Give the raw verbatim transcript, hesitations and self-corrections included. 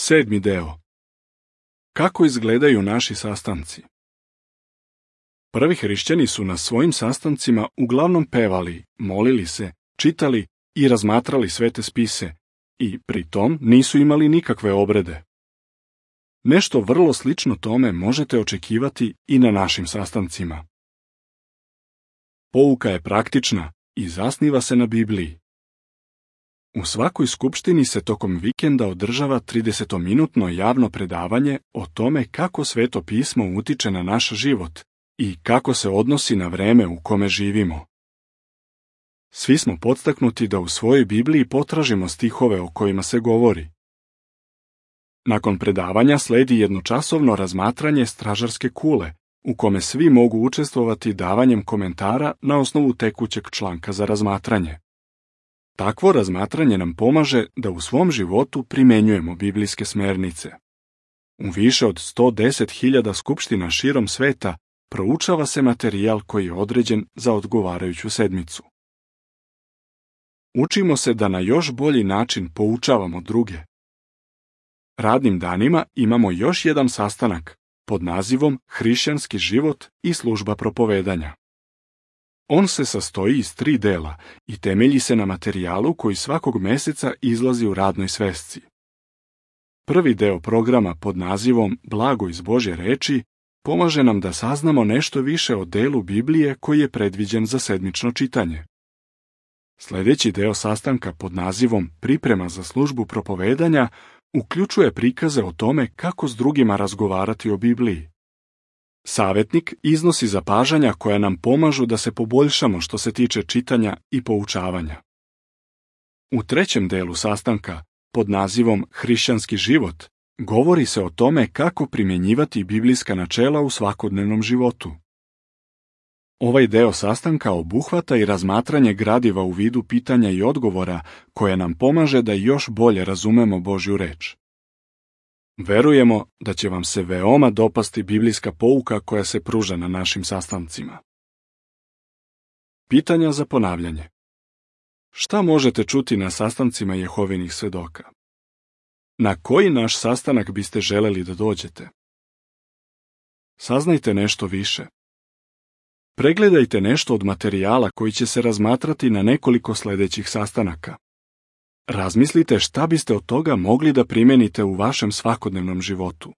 Sedmi deo. Kako izgledaju naši sastanci? Prvi hrišćani su na svojim sastancima uglavnom pevali, molili se, čitali i razmatrali svete spise, i pri tom nisu imali nikakve obrede. Nešto vrlo slično tome možete očekivati i na našim sastancima. Pouka je praktična i zasniva se na Bibliji. U svakoj skupštini se tokom vikenda održava tridesetominutno javno predavanje o tome kako Sveto pismo utiče na naš život i kako se odnosi na vreme u kome živimo. Svi smo podstaknuti da u svojoj Bibliji potražimo stihove o kojima se govori. Nakon predavanja sledi jednočasovno razmatranje stražarske kule, u kome svi mogu učestvovati davanjem komentara na osnovu tekućeg članka za razmatranje. Takvo razmatranje nam pomaže da u svom životu primenjujemo biblijske smernice. U više od sto deset hiljada skupština širom sveta proučava se materijal koji je određen za odgovarajuću sedmicu. Učimo se da na još bolji način poučavamo druge. Radnim danima imamo još jedan sastanak pod nazivom Hrišćanski život i služba propovedanja. On se sastoji iz tri dela i temelji se na materijalu koji svakog meseca izlazi u radnoj svesci. Prvi deo programa pod nazivom Blago iz Božje reči pomaže nam da saznamo nešto više o delu Biblije koji je predviđen za sedmično čitanje. Sljedeći deo sastanka pod nazivom Priprema za službu propovedanja uključuje prikaze o tome kako s drugima razgovarati o Bibliji. Savjetnik iznosi zapažanja koja nam pomažu da se poboljšamo što se tiče čitanja i poučavanja. U trećem delu sastanka, pod nazivom Hrišćanski život, govori se o tome kako primjenjivati biblijska načela u svakodnevnom životu. Ovaj deo sastanka obuhvata i razmatranje gradiva u vidu pitanja i odgovora koje nam pomaže da još bolje razumemo Božju reč. Verujemo da će vam se veoma dopasti biblijska pouka koja se pruža na našim sastancima. Pitanja za ponavljanje. Šta možete čuti na sastancima Jehovinih svedoka? Na koji naš sastanak biste želeli da dođete? Saznajte nešto više. Pregledajte nešto od materijala koji će se razmatrati na nekoliko sljedećih sastanaka. Razmislite šta biste od toga mogli da primenite u vašem svakodnevnom životu.